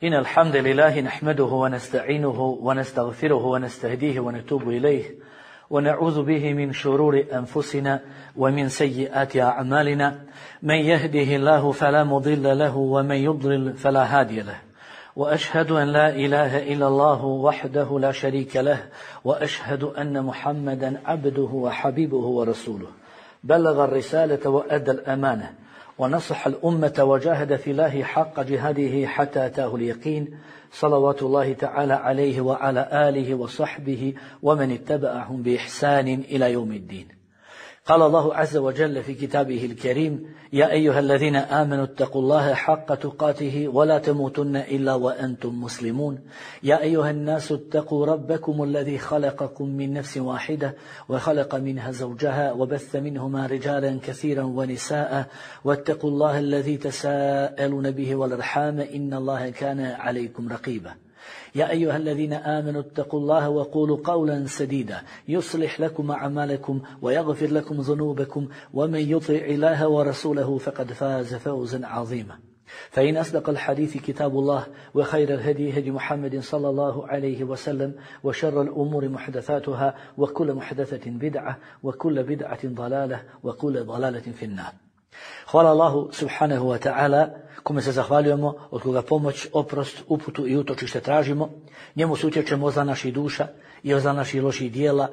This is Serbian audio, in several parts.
إن الحمد لله نحمده ونستعينه ونستغفره ونستهديه ونتوب إليه ونعوذ به من شرور أنفسنا ومن سيئات أعمالنا. من يهده الله فلا مضل له ومن يضلل فلا هادي له. وأشهد أن لا إله إلا الله وحده لا شريك له وأشهد أن محمدا عبده وحبيبه ورسوله. بلغ الرسالة وأدى الأمانة ونصح الأمة وجاهد في الله حق جهاده حتى أتاه اليقين، صلوات الله تعالى عليه وعلى آله وصحبه ومن اتبعهم بإحسان إلى يوم الدين. قال الله عز وجل في كتابه الكريم: يا أيها الذين آمنوا اتقوا الله حق تقاته ولا تموتن إلا وأنتم مسلمون. يا أيها الناس اتقوا ربكم الذي خلقكم من نفس واحدة وخلق منها زوجها وبث منهما رجالا كثيرا ونساء واتقوا الله الذي تساءلون به والأرحام إن الله كان عليكم رقيبا. يا أيها الذين آمنوا اتقوا الله وقولوا قولا سديدا يصلح لكم أعمالكم ويغفر لكم ذنوبكم ومن يطع الله ورسوله فقد فاز فوزا عظيما. فإن أصدق الحديث كتاب الله وخير الهدي هدي محمد صلى الله عليه وسلم وشر الأمور محدثاتها وكل محدثة بدعة وكل بدعة ضلالة وكل ضلالة في النار. Hvala Allahu subhanahu wa ta'ala, kome se zahvaljujemo, od koga pomoć, oprost, uputu i utočište tražimo. Njemu se utječemo za naših duša i za naših loših dijela.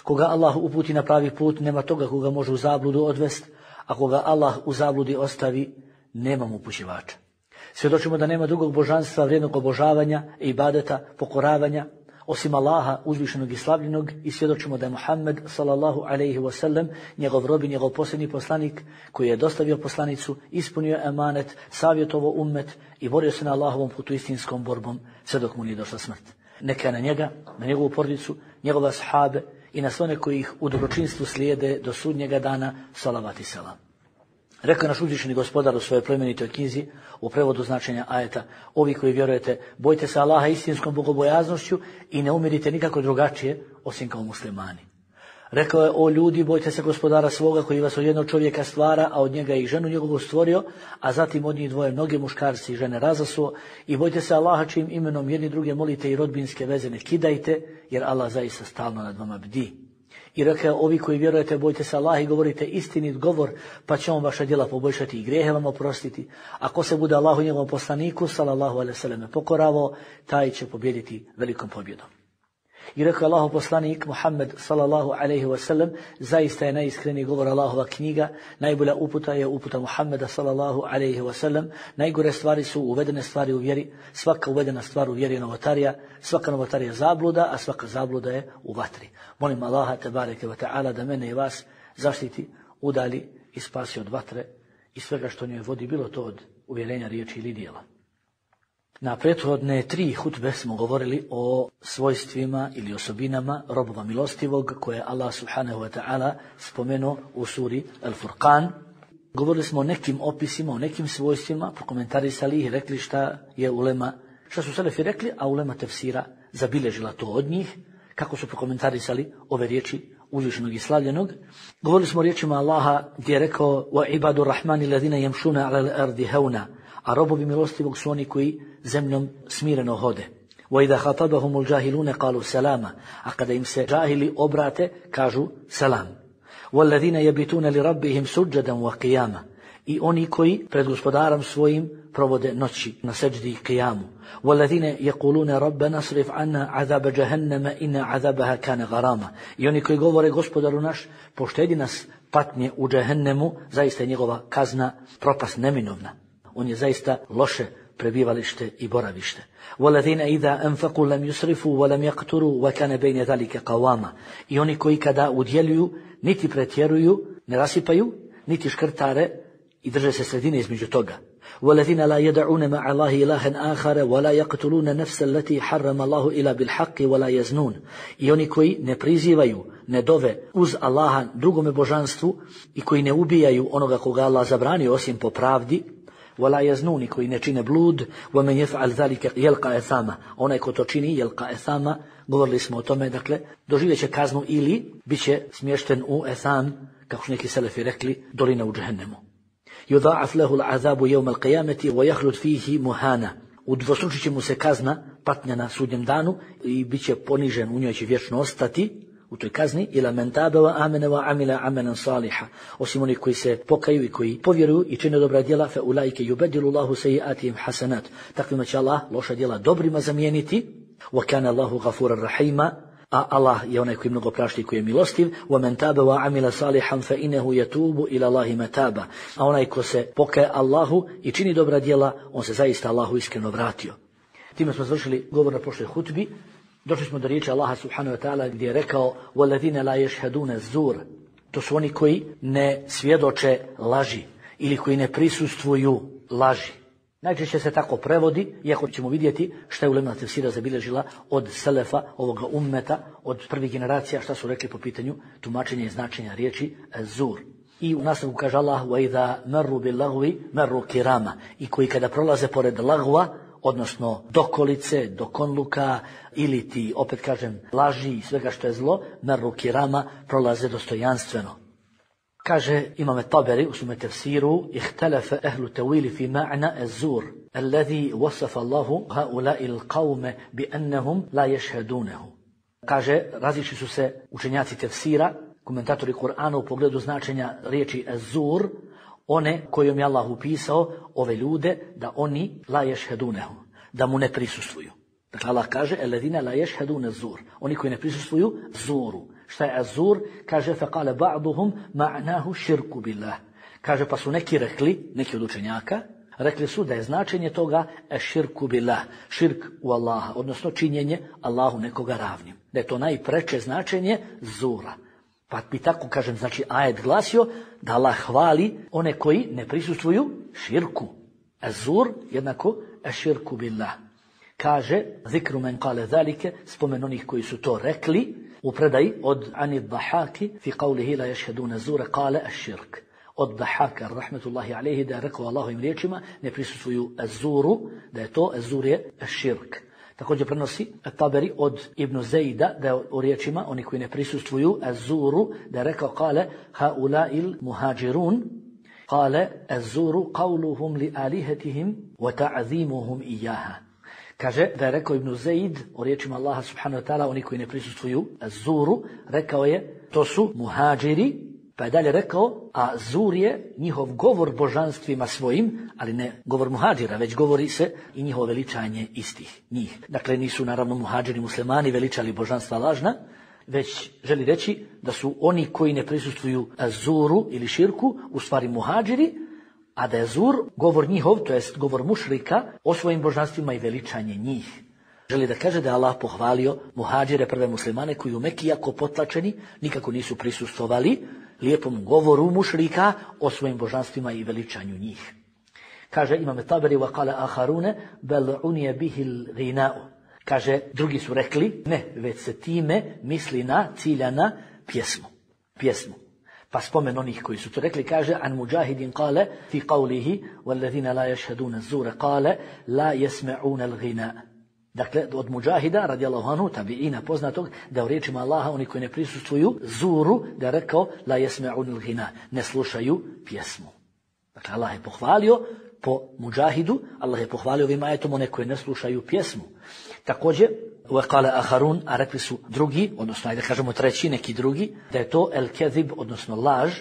Koga Allah uputi na pravi put, nema toga koga može u zabludu odvesti, a koga Allah u zabludi ostavi, nema mu upućivača. Svjedočimo da nema drugog božanstva vrijednog obožavanja, ibadeta, pokoravanja, osim Allaha uzvišenog i slavljenog, i svjedočimo da je Muhammed sallallahu alejhi ve sellem njegov rob i njegov posljednji poslanik koji je dostavio poslanicu, ispunio emanet, savjetovao ummet i borio se na Allahovom putu istinskom borbom sve dok mu nije došla smrt. Neka je na njega, na njegovu porodicu, njegove ashabe i na sve one koji ih u dobročinstvu slijede do sudnjega dana, salavat i selam. Rekao je naš uzvišeni gospodar u svojoj plemenitoj knjizi u prevodu značenja ajeta: ovi koji vjerujete, bojte se Allaha istinskom bogobojaznošću i ne umirite nikako drugačije osim kao muslimani. Rekao je: o ljudi, bojte se gospodara svoga koji vas od jednog čovjeka stvara, a od njega i ženu njegovu stvorio, a zatim od njih dvoje mnoge muškarci i žene razasuo, i bojte se Allaha čijim imenom jedni druge molite i rodbinske veze ne kidajte, jer Allah zaista stalno nad vama bdi. I rekao: ovi koji vjerujete, bojte se Allaha i govorite istinit govor, pa će on vaša djela poboljšati i grijehe vam oprostiti. Ako se bude Allahu i njegovom poslaniku sallallahu alejhi ve sellem pokoravao, taj će pobijediti velikom pobjedom. I rekao Allahov poslanik Muhammed sallallahu alejhi ve sellem: zaista je najiskreniji govor Allahova knjiga, najbolja uputa je uputa Muhammeda sallallahu alejhi ve sellem, najgore stvari su uvedene stvari u vjeri, svaka uvedena stvar u vjeri je novotarija, svaka novotarija je zabluda, a svaka zabluda je u vatri. Molim Allaha tebareke ve taala da mene i vas zaštiti, udali i spasi od vatre i svega što njoj vodi, bilo to od uvjerenja, riječi ili djela. Na prethodne 3 hutbe smo govorili o svojstvima ili osobinama robova milostivog koje Allah subhanahu wa ta'ala spomenuo u suri Al-Furqan. Govorili smo o nekim opisima, o nekim svojstvima, prokomentarisali ih, rekli šta su selefi rekli, a ulema tefsira zabilježila to od njih, kako su prokomentarisali ove riječi uzvišenog i slavljenog. Govorili smo o riječima Allaha gdje je rekao: wa ibadu rahmani ladina yamshuna ala al-ardi hauna, a robovi milostivog su oni koji zemljom smireno hode. وَإِذَا خَطَبَهُمُ الْجَاهِلُونَ قَالُوا سَلَامًا, a kada im se džahili obrate, kažu selam. وَالَّذِينَ يَبِتُونَ لِرَبِّهِمْ سُجَّدًا وَقِيَامًا, i oni koji pred gospodarom svojim provode noći na seđdi i kijamu. وَالَّذِينَ يَقُولُونَ رَبَّنَا اصْرِفْ عَنَّا عَذَابَ جَهَنَّمَ إِنَّ عَذَابَهَا كَانَ غَرَامًا, i oni koji govore: gospodaru naš, poštedi nas patnje u džehennemu, zaista je njegova kazna propast neminovna. On je zaista loše prebivalište i boravište. وَالَّذِينَ إِذَا أَنفَقُوا لَمْ يُسْرِفُوا وَلَمْ يَقْتُرُوا وَكَانَ بَيْنَ ذَلِكَ قَوَامًا, i oni koji kada udjeljuju niti pretjeruju, ne rasipaju, niti škrtare i drže se sredine između toga. وَالَّذِينَ لَا يَدَعُونَ مَعَ اللَّهِ إِلَٰهًا آخَرَ وَلَا يَقْتُلُونَ النَّفْسَ الَّتِي حَرَّمَ اللَّهُ إِلَّا بِالْحَقِّ وَلَا يَزْنُونَ, i oni koji ne prizivaju, ne dove uz Allaha drugome božanstvu i koji ne ubijaju onoga koga Allah zabranio osim po pravdi. وَلَا يَزْنُونِ, koji ne čine blud. وَمَنْ يَفْعَلْ ذَلِكَ يَلْقَ أَثَامًا, onaj ko to čini, يَلْقَ أَثَامًا, govorili smo o tome, dakle, doživjet će kaznu ili bit će smješten u Etham, kako su neki selefi rekli, dolina u džehennemu. يُضَاعَفْ لَهُ الْعَذَابُ يَوْمَ الْقِيَامَةِ وَيَخْلُدْ فِيهِ مُهَانًا, udvostručit će mu se kazna, patnja na sudnjem danu i bit će ponižen, u njoj će vječno ostati, u toj kazni, ila men tabe wa amene wa amila amalan saliha, osim onih koji se pokaju i koji povjeruju i čine dobra djela, fa ulaike yubaddilu Allahu sayyi'atihim hasanat, takvima će Allah loša djela dobrima zamijeniti, wa kana Allahu ghafuran rahima, a Allah je onaj koji mnogo prašta i koji je milostiv, wa men tabe wa amila salihan fa innahu yatubu ila Allahi mataba, a onaj ko se pokaje Allahu i čini dobra djela, on se zaista Allahu iskreno vratio. Time smo završili govor na prošloj hutbi. Došli smo do riječi Allaha subhanahu wa ta'ala gdje je rekao وَالَّذِينَ لَا يَشْهَدُونَ الزُّورَ, to su oni koji ne svjedoče laži ili koji ne prisustvuju laži. Najčešće se tako prevodi, iako ćemo vidjeti šta je ulema tefsira zabilježila od selefa ovoga ummeta, od prvih generacija, šta su rekli po pitanju tumačenja i značenja riječi zur. I u nastavku kaže Allah وَإِذَا مَرُّ بِاللَّغْوِ مَرُّ كِرَامًا, i koji kada prolaze pored lagva, odnosno dokolice, dokonluka ili ti, opet kažem, laži i svega što je zlo, merru kirama, prolaze dostojanstveno. Kaže Imam Taberi u svome tefsiru, ihtalafa ahlu tawili fi ma'na az-zur alladhi wasafa Allahu haula'i al-qawme bi annahum la yashhadunahu. Kaže, različili su se učenjaci tefsira, komentatori Kur'ana u pogledu značenja riječi az-zur, one kojom je Allah upisao ove ljude da oni la yashhadunahu, da mu ne prisustvuju. Dakle, Allah kaže alladhina la yashhaduna az-zur, oni koji ne prisustvuju zuru. Šta je az-zur? Kaže faqala ba'duhum ma'nahu shirku billah. Kaže pa su neki rekli, neki od učenjaka, rekli su da je značenje toga širku billah, širk u Allaha, odnosno činjenje Allahu nekoga ravnim. Da je to najpreče značenje zura. Pa bi tako, kažem, znači ajet glasio da Allah hvali one koji ne prisustvuju širku. Az-zur jednako širku billah. Kaže, zikru men kale zalike, spomen onih koji su to rekli, u predaji od Anid Dahaki, fi qavlihi la yashhaduna zura, kale ash-shirk. Od Dahaka, rahmetullahi alaihi, da je rekao Allahovim riječima, ne prisustvuju az-zuru, da je to az-zur je ash-shirk. Također prenosi Taberi od Ibn Zejda, da je u riječima, oni koji ne prisustvuju az-zuru, da je rekao, kale haula'il muhađirun, kale az-zuru qavluhum li alihetihim wa ta'zimuhum iyaha. Kaže da je rekao Ibn Zeid o riječima Allaha subhanahu wa ta'ala, oni koji ne prisustvuju zuru, rekao je to su muhađiri, pa je dalje rekao, a zur je njihov govor božanstvima svojim, ali ne govor muhađira, već govori se i njihovo veličanje istih njih. Dakle, nisu naravno muhađiri muslimani veličali božanstva lažna, već želi reći da su oni koji ne prisustvuju zuru ili širku, u stvari muhađiri, a da je zur govor njihov, to jest govor mušrika, o svojim božanstvima i veličanje njih. Želi da kaže da je Allah pohvalio muhađire, prve muslimane, koji u Meki, jako potlačeni, nikako nisu prisustvovali lijepom govoru mušrika o svojim božanstvima i veličanju njih. Kaže Imam Taberi wa qala akharune bel unije bihil ghina'u. Kaže, drugi su rekli, ne, već se time misli na ciljana pjesmu. Pa spomen onih koji su to rekli, kaže an Mujahidin kale fi qavlihi walladhina la yashhaduna az-zura kale la yasma'una al-ghina. Dakle, od Mujahida, radijallahu anhu, tabiina poznatog, da u riječima Allaha, oni koji ne prisustvuju zuru, da je rekao la yasma'una al-ghina, ne slušaju pjesmu. Dakle, Allah je pohvalio po Mujahidu, Allah je pohvalio ovim ajetom one koje ne slušaju pjesmu. Također, وقال آخرون, a rekli su drugi, odnosno ajde kažemo treći, neki drugi, da je to el-kezib, odnosno laž,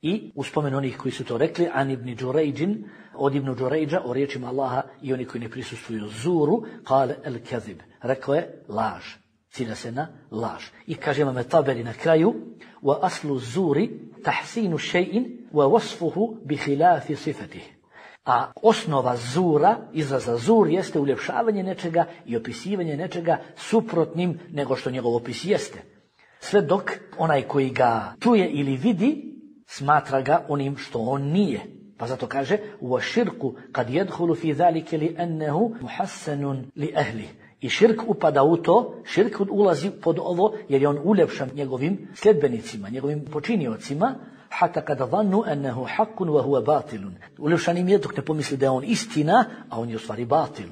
i uspomen onih koji su to rekli, an ibn Đurejđin, od ibn Đurejđa, o riječima Allaha i oni koji ne prisustvuju zuru, kale el-kezib, rekao je laž, cilja se na laž. I kaže Imam Taberi na kraju, wa aslu zuri tahsinu še'in wa wasfuhu bi khilafi sifatih. A osnova zura, izraza zur, jeste uljepšavanje nečega i opisivanje nečega suprotnim nego što njegov opis jeste. Sve dok onaj koji ga čuje ili vidi, smatra ga onim što on nije. Pa zato kaže, وَشِرْكُ قَدْ يَدْخُلُ فِي ذَلِكَ لِأَنَّهُ مُحَسَّنٌ لِأَهْلِهِ. I širk upada u to, širk ulazi pod ovo jer je on uljepšan njegovim sljedbenicima, njegovim počiniocima, hatta kada vannu ennehu hakkun wa huwa batilun. Uljepšanim je dok ne pomisli da je on istina, a on je u stvari batil.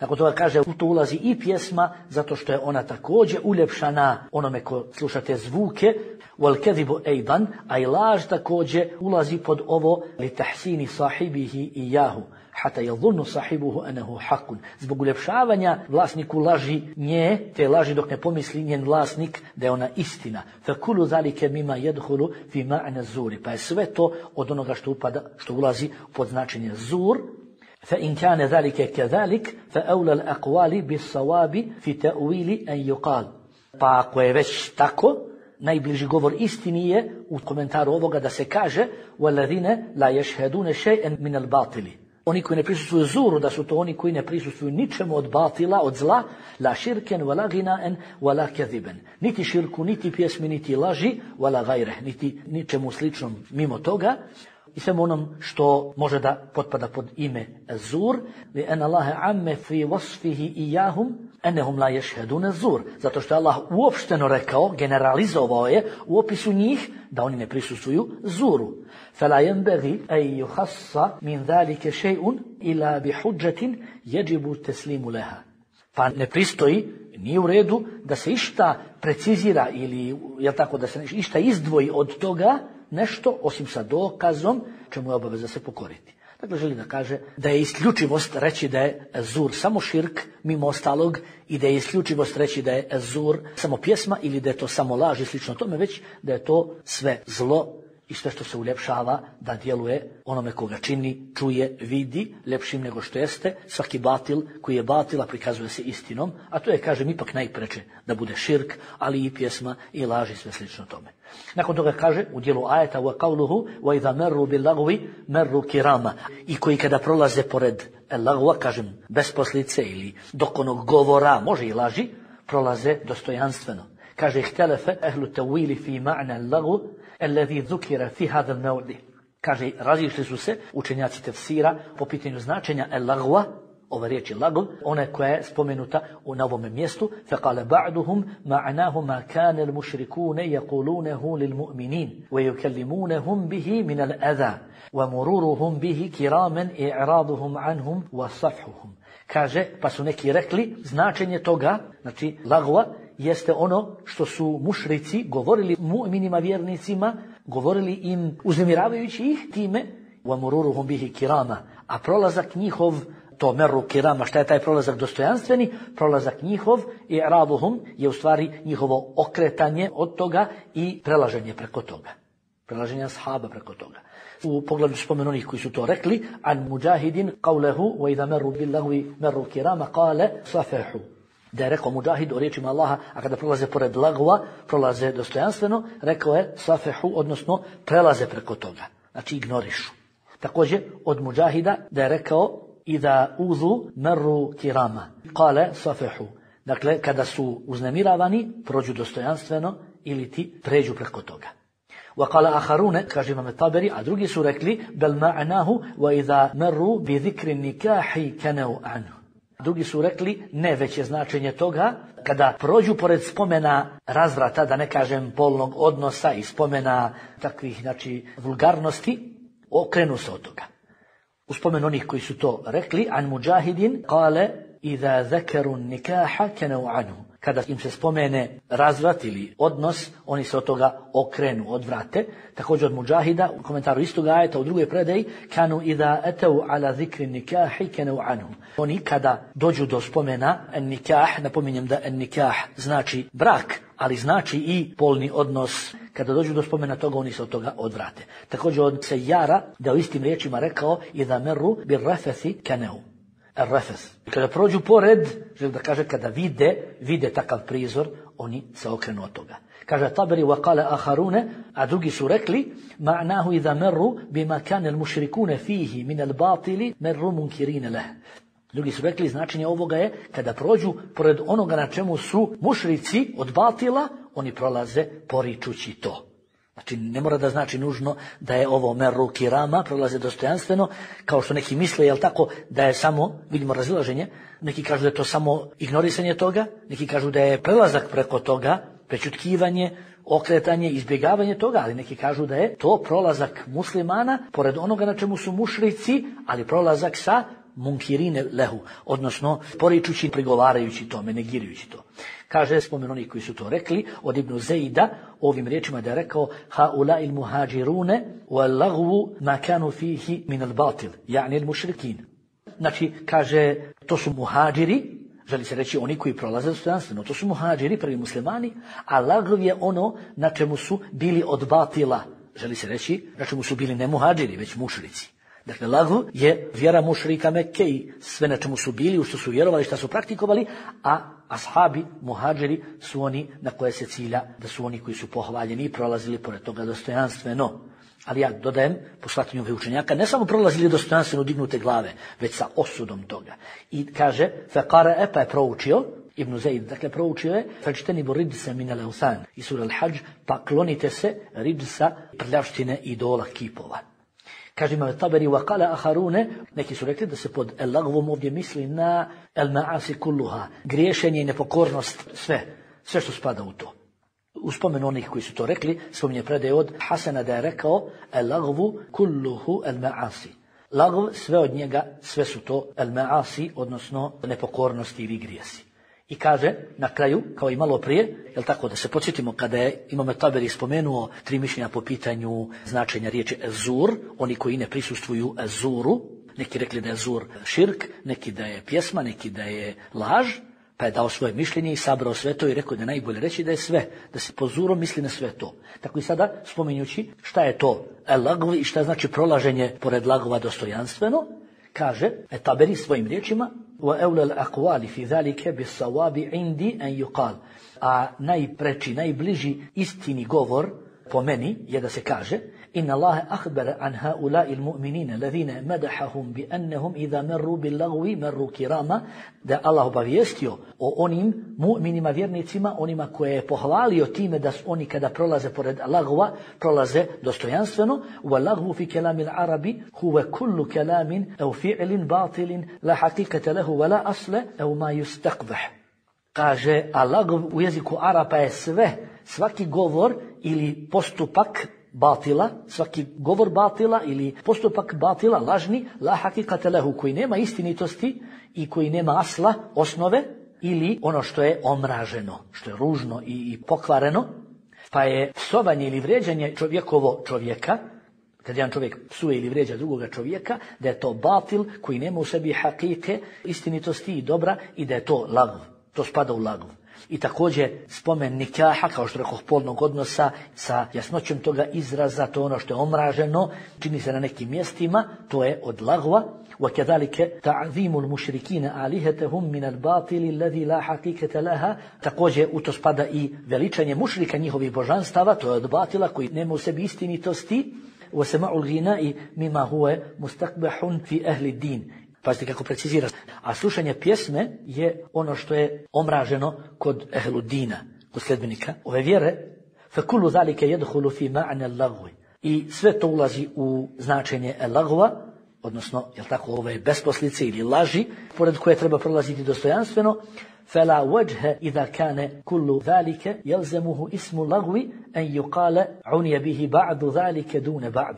Nakon toga kaže, u to ulazi i pjesma, zato što je ona također uljepšana onome ko sluša te zvuke, wal kadhibu aidan, a i laž također ulazi pod ovo li tahsini sahibihi iyahu, hata yadhunnu sahibuhu anahu haqqun. Zbog uljepšavanja vlasniku laži nje, te laži dok ne pomisli njen vlasnik da je ona istina. Fa kullu zalika mimma yadkhulu fi ma'na zuri. Pa je sve to od onoga što ulazi pod značenje zur. فإن كان ذلك كذلك فأولى الأقوال بالصواب في تأويل أن يقال. Pa ako je već tako, najbliži govor istini je u komentaru ovoga da se kaže وَالَّذِينَ لَا يَشْهَدُونَ شَيْئًا مِنَ الْبَاطِلِ. Oni koji ne prisustvuju zuru, da su to oni koji ne prisustvuju ničemu od batila, od zla, la širken, wala ginaen, wala keziben. Niti širku, niti pjesmi, niti laži, wala gajre, niti ničemu sličnom mimo toga. I svemu onom što može da potpada pod ime zur, li en Allahe amme fi wasfihi iyahum enehum la yashhadun zur. Zato što je Allah uopšteno rekao, generalizovao je u opisu njih da oni ne prisustvuju zuru. Fala yanbaghi an yukhassa min zalika shay'un ila bi hujjatin yajibu taslimu laha. Pa ne pristoji, nije u redu da se išta precizira ili je tako da se išta izdvoji od toga nešto osim sa dokazom čemu je obaveza se pokoriti. Dakle, želi da kaže da je isključivost reći da je zur samo širk mimo ostalog i da je isključivost reći da je zur samo pjesma ili da je to samo laž i slično tome, već da je to sve zlo i sve što se uljepšava da djeluje onome koga čini, čuje, vidi ljepšim nego što jeste. Svaki batil koji je batila prikazuje se istinom, a to je, kažem, ipak najpreče da bude širk, ali i pjesma i laž i sve slično tome. Nakon toga kaže u dijelu ajeta wa qawluhu wa idha marru bil lagwi marru kirama. I koji kada prolaze pored lagwa, kažem, bez poslice ili dok onog govora, može i laži, prolaze dostojanstveno. Kaže ihtalafa ahlu tawili fi ma'na al-lagw alladhi dhukira fi hadha al-mawdi. Kaže, razišli su se učenjaci tefsira po pitanju značenja al-lagwa, ova riječ je lagv, ona koja je spomenuta na ovome mjestu. فَقَالَ بَعْدُهُمْ مَعْنَاهُ مَا كَانَ الْمُشْرِكُونَ يَقُولُونَهُ لِلْمُؤْمِنِينَ وَيُكَلِّمُونَهُمْ بِهِ مِنَ الْأَذَى وَمُرُورُهُمْ بِهِ كِرَامًا إِعْرَاضُهُمْ عَنْهُمْ وَصَفْحُهُمْ. Kaže, pa su neki rekli, značenje toga, znači lagva, jeste ono što su mušrici govorili mu'minima, vjernicima, govorili im uznemiravajući ih time, وَمُرُورُهُمْ بِهِ كِرَامًا, a prolazak njihov, to meru kirama, šta je taj prolazak dostojanstveni? Prolazak njihov i raduhum je u stvari njihovo okretanje od toga i prelaženje preko toga. Prelaženje ashaba preko toga. U pogledu spomenu onih koji su to rekli, an Mujahidin qawlehu wa idha meru bil lagwi meru kirama qale safahu. Da je rekao Mujahid o riječima Allaha, a kada prolaze pored lagva, prolaze dostojanstveno, rekao je safahu, odnosno prelaze preko toga. Znači ignorišu. Također od Mujahida da je rekao Iza uzu merru kirama. Kale safihu. Dakle, kada su uznemiravani, prođu dostojanstveno ili ti pređu preko toga. Wa kala aharune, kaže Imam Taberi, a drugi su rekli, bel ma'nahu wa iza merru bi zikri nikahi kanau anhu. Drugi su rekli, ne, već je značenje toga, kada prođu pored spomena razvrata, da ne kažem polnog odnosa i spomena takvih, znači, vulgarnosti, okrenu se od toga. U spomenu onih koji su to rekli, an Mujahidin kale iza zakaru nikaha kanau anhu. Kada im se spomene razvrat ili odnos, oni se od toga okrenu, odvrate. Također od Mujahida, u komentaru istog ajeta u drugoj predaji, kanu iza atau ala zikri nikahi kanau anhu. Oni kada dođu do spomena nikah, napominjem da nikah znači brak, ali znači i polni odnos. Kada dođu do spomena toga, oni se od toga odvrate. Također od Sejara, da u istim riječima rekao, iza meru bil rafathi kanau. Rafas. Kada prođu pored, želim da kaže, kada vide takav prizor, oni se okrenu od toga. Kaže Taberi wa qala akharune, a drugi su rekli, ma'nahu iza meru bima kana al-mushrikuna fihi min al-batili meru munkirina lah. Drugi su rekli, značenje ovoga je, kada prođu pored onoga na čemu su mušrici od batila, oni prolaze poričući to. Znači, ne mora da znači nužno da je ovo meru kirama, prolaze dostojanstveno, kao što neki misle, jel tako, da je samo, vidimo razilaženje, neki kažu da je to samo ignorisanje toga, neki kažu da je prelazak preko toga, prečutkivanje, okretanje, izbjegavanje toga, ali neki kažu da je to prolazak muslimana, pored onoga na čemu su mušrici, ali prolazak sa munkirine lehu, odnosno poričući, prigovarajući tome, negirajući to. Kaže spomen oni koji su to rekli, od Ibn Zejda, ovim riječima da je rekao haula il muhađirune wal lagvu ma kanu fihi min al batil, yani il mušrikin. Znači, kaže, to su muhađiri, želi se reći oni koji prolaze dostojanstveno, to su muhađiri, prvi muslimani, a lagv je ono na čemu su bili od batila, želi se reći, na čemu su bili ne muhađiri, već mušrici. Dakle, lagv je vjera mušrika Mekke i sve na čemu su bili, u što su vjerovali, što su praktikovali, a ashabi, muhađiri su oni na koje se cilja, da su oni koji su pohvaljeni i prolazili pored toga dostojanstveno. Ali ja dodajem, po shvatanju ovih učenjaka, ne samo prolazili dostojanstveno dignute glave, već sa osudom toga. I kaže, faqara pa je proučio, Ibn Zaid, dakle proučio je, fajtanibu ridsa min al-awthan, i sura Al-Hajj, pa klonite se ridsa, prljavštine idola kipova. Kaže Imam Taberi, waqala akharune, neki su rekli da se pod el-lagvom ovdje misli na el-ma'asi kulluha, griješenje i nepokornost, sve što spada u to. U spomenu onih koji su to rekli, spominje predaje od Hasana da je rekao el-lagvu kulluhu el-ma'asi. Lagv, sve od njega, sve su to el-ma'asi, odnosno nepokornosti ili grijesi. I kaže na kraju, kao i malo prije, jel tako, da se podsjetimo kada je Imam Taberi spomenuo 3 mišljenja po pitanju značenja riječi ezur, oni koji ne prisustvuju ezuru, neki rekli da je ezur širk, neki da je pjesma, neki da je laž, pa je dao svoje mišljenje i sabrao sve to i rekao da je najbolje reći da je sve, da se po zurom misli na sve to. Tako i sada, spominjući šta je to el-lagv i šta znači prolaženje pored lagova dostojanstveno, kaže Taberi svojim riječima, وَأَوْلَ الْأَقْوَالِ فِي ذَلِكَ بِالصَّوَابِ عِنْدِي أَنْ يُقَالِ. A najpreči, najbliži istini govor po meni je da se kaže إِنَّ اللَّهَ أَخْبَرَ عَنْ هَؤُلَاءِ الْمُؤْمِنِينَ الَّذِينَ مَدَحَهُمْ بِأَنَّهُمْ إِذَا مَرُّوا بِاللَّغْوِ مَرُّوا كِرَامًا, da Allah obavijestio o onim mu'minima, vjernicima, onima koje je pohvalio time da oni kada prolaze pored lagva, prolaze dostojanstveno. وَاللَّغْوُ فِي كَلَامِ الْعَرَبِ هُوَ كُلُّ كَلَامٍ أَوْ فِعْلٍ بَاطِلٍ لَا حَقِيقَةَ لَهُ وَلَا أَصْلَ أَوْ مَا يُسْتَقْبَحْ. Kaže, a lagv u jeziku Arapa je sve, svaki govor ili postupak batila, svaki govor batila ili postupak batila, lažni, la hakikate lehu, koji nema istinitosti i koji nema asla, osnove, ili ono što je omraženo, što je ružno i pokvareno, pa je psovanje ili vrijeđanje čovjeka, kad jedan čovjek psuje ili vrijeđa drugoga čovjeka, da je to batil koji nema u sebi hakike, istinitosti i dobra i da je to lagv, to spada u lagv. I također spomen nikaha, kao što rekoh, polnog odnosa sa jasnoćom toga izraza, to ono što je omraženo, čini se na nekim mjestima, to je od lagva. وَكَذَلِكَ تَعْذِيمُ الْمُشْرِكِينَ آلِهَتَهُمْ مِنَ الْبَاطِلِ الَّذِي لَا حَقِيقَةَ لَهَا. Također u to spada i veličanje mušrika njihovih božanstava, to je od batila koji nema u sebi istinitosti. وَسَمَعُ الْغِنَاءِ مِمَا هُوَ مُسْتَقْبَحٌ فِي أَهْلِ الدِّينِ. Pazite kako precizira. A slušanje pjesme je ono što je omraženo kod ehludina, kod sljedbenika ove vjere. فَكُلُّ ذَلِكَ يَدْخُلُ فِي مَعْنَ اللَّغْوِ. I sve to ulazi u značenje lagva, odnosno, jel tako, ove besposlice ili laži, pored koje treba prolaziti dostojanstveno. فَلَا وَجْهَ إِذَا كَانَ كُلُّ ذَلِكَ يَلْزَمُهُ اسم اللغو أن يقال عُنِيَ بِهِ بَعْدُ ذَلِكَ دُونَ بَعْدٍ.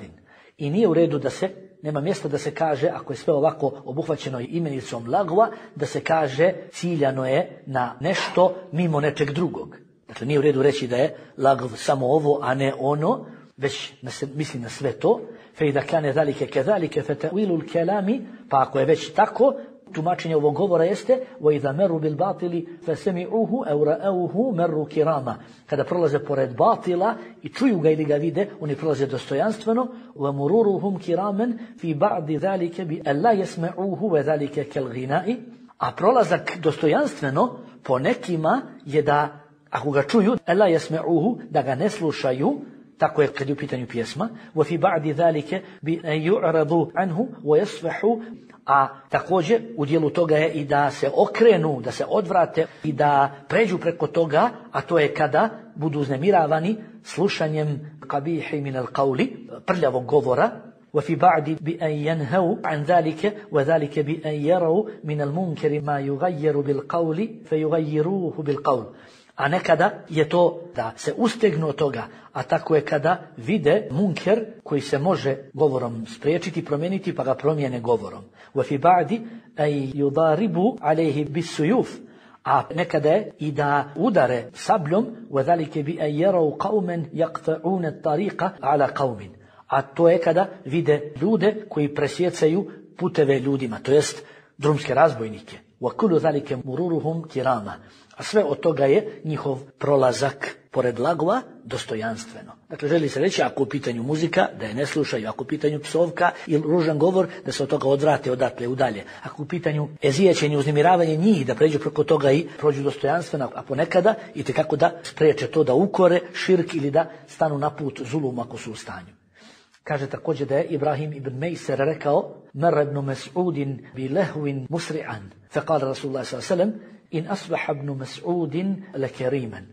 I nije u redu da se, nema mjesta da se kaže, ako je sve ovako obuhvaćeno imenicom lagva, da se kaže ciljano je na nešto mimo nečeg drugog. Dakle, nije u redu reći da je lagv samo ovo, a ne ono, već misli na sve to. فَإِذَا كَانَ ذَلِكَ كَذَلِكَ فَتَأْوِيلُ الْكَلَامِ. Pa ako je već tako, tumačenje ovog govora jeste وَإِذَا مَرُّوا بِالْبَاطِلِ فَسَمِعُوهُ أَوْ رَأَوْهُ مَرُّوا كِرَامًا. Kada prolaze pored batila i čuju ga ili ga vide, oni prolaze dostojanstveno. وَمُرُورُهُمْ كِرَامًا فِي بَعْدِ ذَلِكَ بِأَلَّا يَسْمَعُوهُ وَذَلِكَ كَالْغِنَاءِ. A prolazak dostojanstveno po nekima je da, ako ga čuju, أَلَّا يَسْمَعُوهُ, da ga ne slušaju, tako je kad je u pitanju pjesma. وَفِي بَعْدِ ذَلِكَ بِأَنْ يُعْرَضُوا عَنْهُ وَيَصْفَحُوا. A također u dijelu toga je i da se okrenu, da se odvrate i da pređu preko toga, a to je kada budu uznemiravani slušanjem qabihi min al-qawli, prljavog govora. وفي بعد بأن ينهوا عن ذلك وذلك بأن يروا من المنكر ما يغير بالقول فيغيروه بالقول. A nekada je to da se ustegnu od toga, a tako je kada vide munker koji se može govorom spriječiti, promijeniti, pa ga promijene govorom. وَفِي بَعْدِ أَيْ يُضَارِبُوا عَلَيْهِ بِالسُّيُوفِ. A nekada je i da udare sabljom وَذَلِكَ بِأَنْ يَرَوْا قَوْمًا يَقْطَعُونَ الطَّرِيقَ عَلَى قَوْمٍ. A to je kada vide ljude koji presjecaju puteve ljudima, to jest drumske razbojnike. وَكُلُّ ذَلِكَ مُرُورُهُمْ كِرَامًا. A sve od toga je njihov prolazak pored lagova dostojanstveno. Dakle, želi se reći, ako u pitanju muzika, da je ne slušaju, ako u pitanju psovka ili ružan govor, da se od toga odvrate odatle udalje. Ako u pitanju ezijećenje, uznemiravanje njih, da pređu preko toga i prođu dostojanstveno, a ponekada i tekako da spriječe to da ukore širk ili da stanu na put zulum ako su u stanju. Kaže također da je Ibrahim ibn Mejser rekao: "Marra ibn Mas'udin bi lahwin musri'an, fa qala Rasulullah sallallahu alejhi ve sellem: in asbaha ibn Mas'udin lakariman."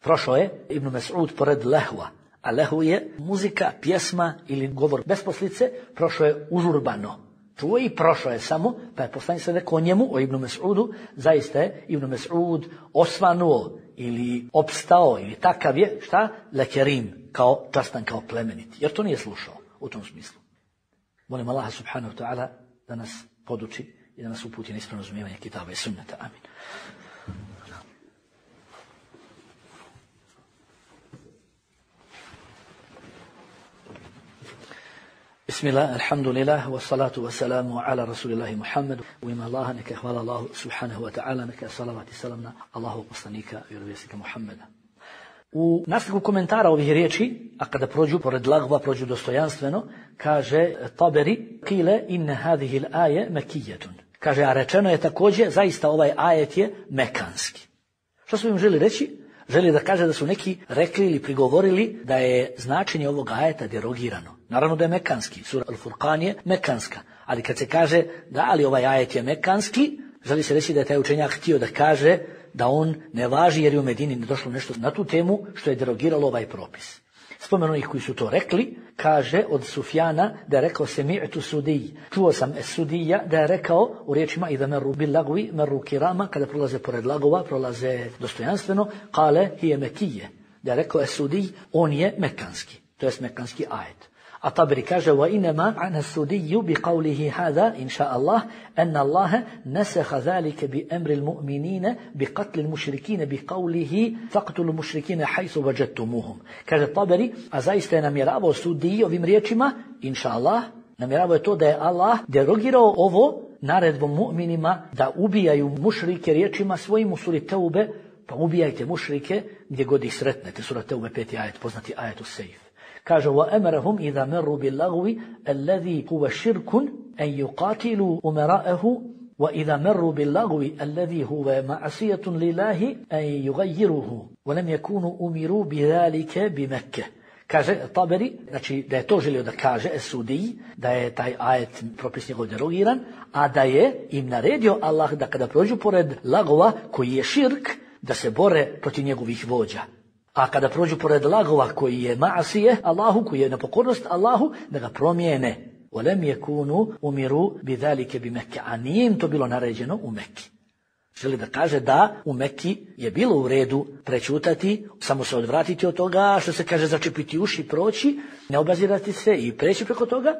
Prošao je Ibn Mas'ud pored lehva, a lehvu je muzika, pjesma ili govor bez poslice, prošao je užurbano. Čuo i prošao je samo, pa je poslanik se rekao o njemu, o Ibn Mas'udu, zaista je Ibn Mas'ud osvanuo ili opstao ili takav je, šta? Lakarim, kao častan, kao plemeniti, jer to nije slušao u tom smislu. Molim Allaha subhanahu wa ta'ala da nas poduči i da nas uputi na ispravno razumijevanje kitaba i sunneta. Amin. Bismillah, alhamdulillah, wa salatu wa salamu ala rasulillahi Muhammedu. U ime Allaha, neka hvala Allahu subhanahu wa ta'ala, neka salavat i salam na Allahu poslanika i vjerovjesnika Muhammeda. U nastavku komentara ovih riječi, a kada prođu pored lagva, prođu dostojanstveno, kaže Taberi: "Kile inna hadhihi al-aye makiyatun." Kaže, a rečeno je također, zaista ovaj ajet je mekanski. Što su im želi reći? Želi da kaže da su neki rekli ili prigovorili da je značenje ovog ajeta derogirano. Naravno da je mekanski, sura Al-Furqan je mekanska, ali kad se kaže da ali ovaj ajet je mekanski, želi se reći da je taj učenjak htio da kaže da on ne važi jer je u Medini ne došlo nešto na tu temu što je derogiralo ovaj propis. Spomenu ih koji su to rekli, kaže od Sufjana da je rekao semi'tu sudij. Čuo sam sudija da je rekao u riječima idha meru bil lagwi meru kirama, kada prolaze pored lagova, prolaze dostojanstveno, kale hije mekije. Da je rekao sudij, on je mekanski, to jest mekanski ajet. A Taberi kaže wa inma an sudiju bi qawlihi hada insha Allah an Allah nasakha zalika bi amri al-mu'minina bi qatl al-mushrikeen bi qawlihi faqtulu al-mushrikeen haythu wajadtumuhum. Kaže Taberi, a zaista je namjeravao sudij ovim riječima insha Allah, namjeravao je to da je Allah derogirao ovo naredbom mu'minima da ubijaju mušrike riječima svojim u suri Teube, pa ubijajte mušrike gdje god ih sretnete. Sura Teube 5. ajet, poznati ajet us-sejf. Kaže وَأَمَرَهُمْ إِذَا مَرُّوا بِاللَّغْوِ الَّذِي هُوَ شِرْكٌ أَنْ يُقَاتِلُوا أُمَرَاءَهُ وَإِذَا مَرُّوا بِاللَّغْوِ الَّذِي هُوَ مَعْصِيَةٌ لِلَّهِ أَنْ يُغَيِّرُهُ وَلَمْ يَكُونُوا أُمِرُوا بِذَلِكَ بِمَكَّةِ. Kaže Taberi, znači da je to želio da kaže Sudiji, da je taj ajet propis njegov derogiran, a da je im naredio Allah da kada prođu pored lagova koji je širk, da se bore protiv njegovih vođa. A kada prođu pored lagova koji je ma'asije Allahu, koji je nepokornost Allahu, da ga promijene. وَلَمْ يَكُونُوا أُمِرُوا بِذَلِكَ بِمَكَّةِ. A nije im to bilo naređeno u Mekki. Želi da kaže da u Mekki je bilo u redu prečutati, samo se odvratiti od toga, što se kaže začepiti uši, proći, ne obazirati se i preći preko toga,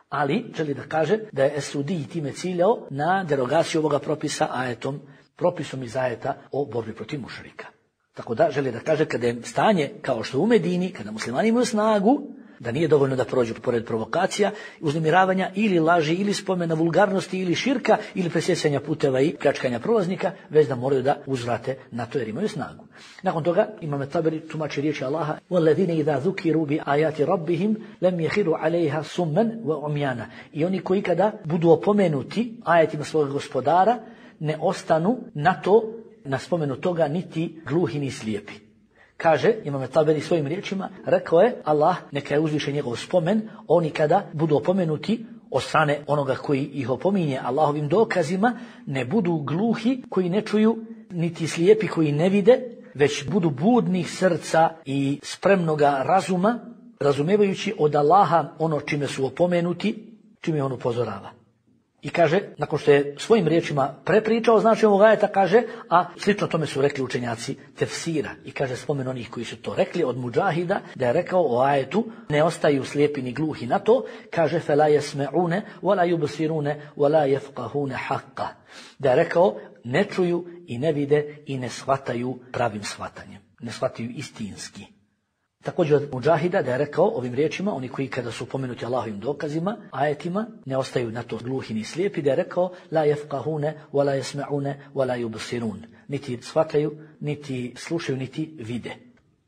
ali želi da kaže da je Sudiji time ciljao na derogaciju ovoga propisa ajetom, propisom iz ajeta o borbi protiv mušrika. Tako da želi da kaže kada je stanje kao što u Medini, kada muslimani imaju snagu, da nije dovoljno da prođu pored provokacija, uznemiravanja ili laži, ili spomena vulgarnosti, ili širka, ili presjecanja puteva i pljačkanja prolaznika, već da moraju da uzvrate na to jer imaju snagu. Nakon toga Imam Taberi tumači riječi Allaha: وَالَّذِينَ إِذَا ذُكِرُوا بِآيَاتِ رَبِّهِمْ لَمْ يَخِرُوا عَلَيْهَا سُمًّا وَعُمْيَانًا. I oni koji kada budu opomenuti ajetima svog gospodara, ne ostanu na to, na spomenu toga, niti gluhi ni slijepi. Kaže Imam Taberi svojim riječima, rekao je Allah, neka je uzvišen njegov spomen, oni kada budu opomenuti od strane onoga koji ih opominje Allahovim dokazima, ne budu gluhi koji ne čuju, niti slijepi koji ne vide, već budu budnih srca i spremnoga razuma, razumijevajući od Allaha ono čime su opomenuti, čime on upozorava. I kaže, nakon što je svojim riječima prepričao znači ovog ajeta, kaže, a slično tome su rekli učenjaci tefsira. I kaže, spomen onih koji su to rekli od Mudžahida, da je rekao o ajetu, ne ostaju slijepi ni gluhi na to, kaže, فَلَا يَسْمَعُونَ وَلَا يُبْصِرُونَ وَلَا يَفْقَهُونَ حَقًّا. Da je rekao, ne čuju i ne vide i ne shvataju pravim shvatanjem. Ne shvataju istinski. Također od Mudžahida da je rekao ovim riječima, oni koji kada su pomenuti Allahovim dokazima, ajetima, ne ostaju na to gluhi ni slijepi, da je rekao la yafqahune, wa la yasma'une, wa la yubsirun. Niti shvataju, niti slušaju, niti vide.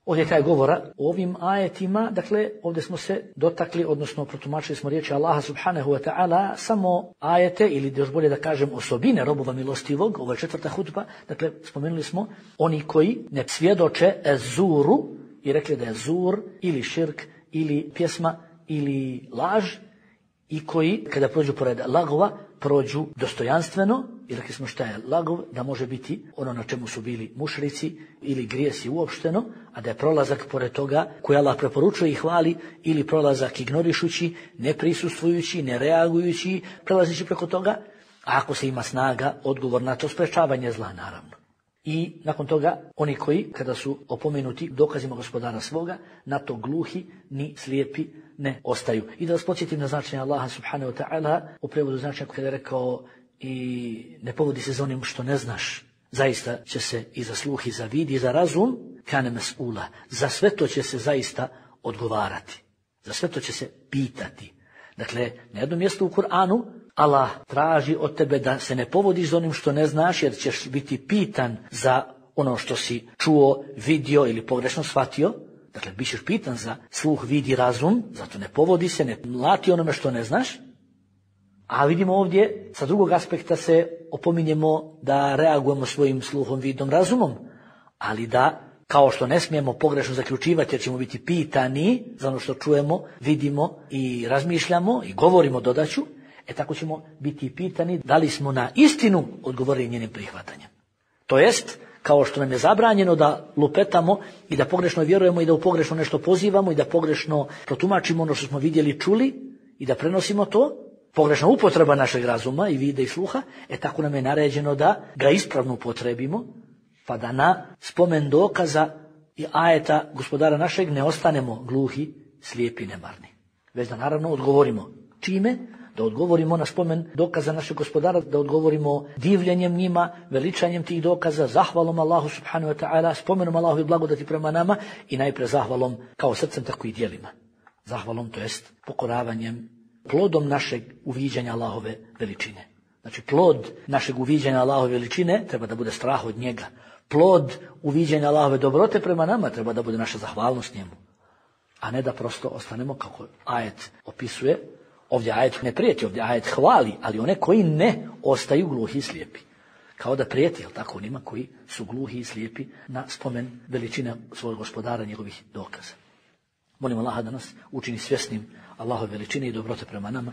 Ovdje je kraj govora o ovim ajetima, dakle ovdje smo se dotakli, odnosno protumačili smo riječi Allaha subhanahu wa ta'ala, samo ajete ili još bolje da kažem osobine robova milostivog, ovo je 4. hudba, dakle spomenuli smo oni koji ne svjedoče zuru i rekli da je zur ili širk ili pjesma ili laž i koji kada prođu pored lagova prođu dostojanstveno i rekli smo šta je lagov, da može biti ono na čemu su bili mušrici ili grijesi uopšteno, a da je prolazak pored toga koji Allah preporučuje i hvali ili prolazak ignorišući, ne prisustvujući, ne reagujući, prelazeći preko toga, a ako se ima snaga, odgovor na to sprečavanje zla naravno. I nakon toga oni koji kada su opomenuti dokazima gospodara svoga, na to gluhi ni slijepi ne ostaju. I da vas podsjetim na značenje Allaha subhanahu wa ta'ala, u prevodu značenja kada je rekao i ne povodi se za onim što ne znaš, zaista će se i za sluh i za vid i za razum, kane mes'ula, za sve to će se zaista odgovarati, za sve to će se pitati. Dakle, na jednom mjestu u Kur'anu Allah traži od tebe da se ne povodiš za onim što ne znaš, jer ćeš biti pitan za ono što si čuo, vidio ili pogrešno shvatio. Dakle, bit ćeš pitan za sluh, vid i razum, zato ne povodi se, ne mlati onome što ne znaš. A vidimo ovdje, sa drugog aspekta se opominjemo da reagujemo svojim sluhom, vidom, razumom, ali da, kao što ne smijemo pogrešno zaključivati jer ćemo biti pitani za ono što čujemo, vidimo i razmišljamo i govorimo dodaću, tako ćemo biti pitani da li smo na istinu odgovorili njenim prihvatanjem. To jest, kao što nam je zabranjeno da lupetamo i da pogrešno vjerujemo i da u pogrešno nešto pozivamo i da pogrešno protumačimo ono što smo vidjeli i čuli i da prenosimo to, pogrešna upotreba našeg razuma i vide i sluha, tako nam je naređeno da ga ispravno upotrebimo, pa da na spomen dokaza i ajeta gospodara našeg ne ostanemo gluhi, slijepi, nemarni. Već da naravno odgovorimo. Čime? Da odgovorimo na spomen dokaza našeg gospodara, da odgovorimo divljenjem njima, veličanjem tih dokaza, zahvalom Allahu subhanahu wa ta'ala, spomenom Allahu i blagodati prema nama i najprije zahvalom kao srcem tako i djelima. Zahvalom, to jest pokoravanjem, plodom našeg uviđanja Allahove veličine. Znači plod našeg uviđanja Allahove veličine treba da bude strah od njega. Plod uviđanja Allahove dobrote prema nama treba da bude naša zahvalnost njemu. A ne da prosto ostanemo, kako ajet opisuje, ovdje ajet ne prijeti, ovdje ajet hvali, ali one koji ne ostaju gluhi i slijepi. Kao da prijeti, jel tako, onima koji su gluhi i slijepi na spomen veličine svojeg gospodara, njegovih dokaza. Molim Allaha da nas učini svjesnim Allahove veličine i dobrote prema nama.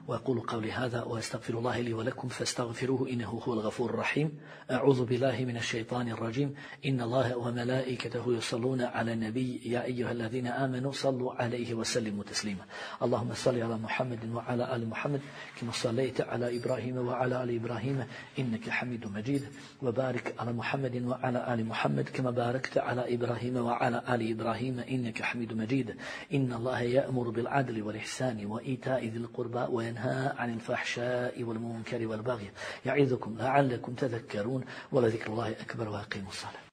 وأقول قولي هذا وأستغفر الله لي ولكم فاستغفروه إنه هو الغفور الرحيم. أعوذ بالله من الشيطان الرجيم. إن الله وملائكته يصلون على النبي يا أيها الذين آمنوا صلوا عليه وسلموا تسليما. اللهم صل على محمد وعلى آل محمد كما صليت على إبراهيم وعلى آل إبراهيم إنك حميد مجيد. وبارك على محمد وعلى آل محمد كما باركت على إبراهيم وعلى آل إبراهيم إنك حميد مجيد. إن الله يأمر بالعدل والإحسان وإيتاء ذي القربى وينهى عن الفحشاء والمنكر والبغي يعظكم لعلكم تذكرون ولذكر الله أكبر وأقيموا الصلاة.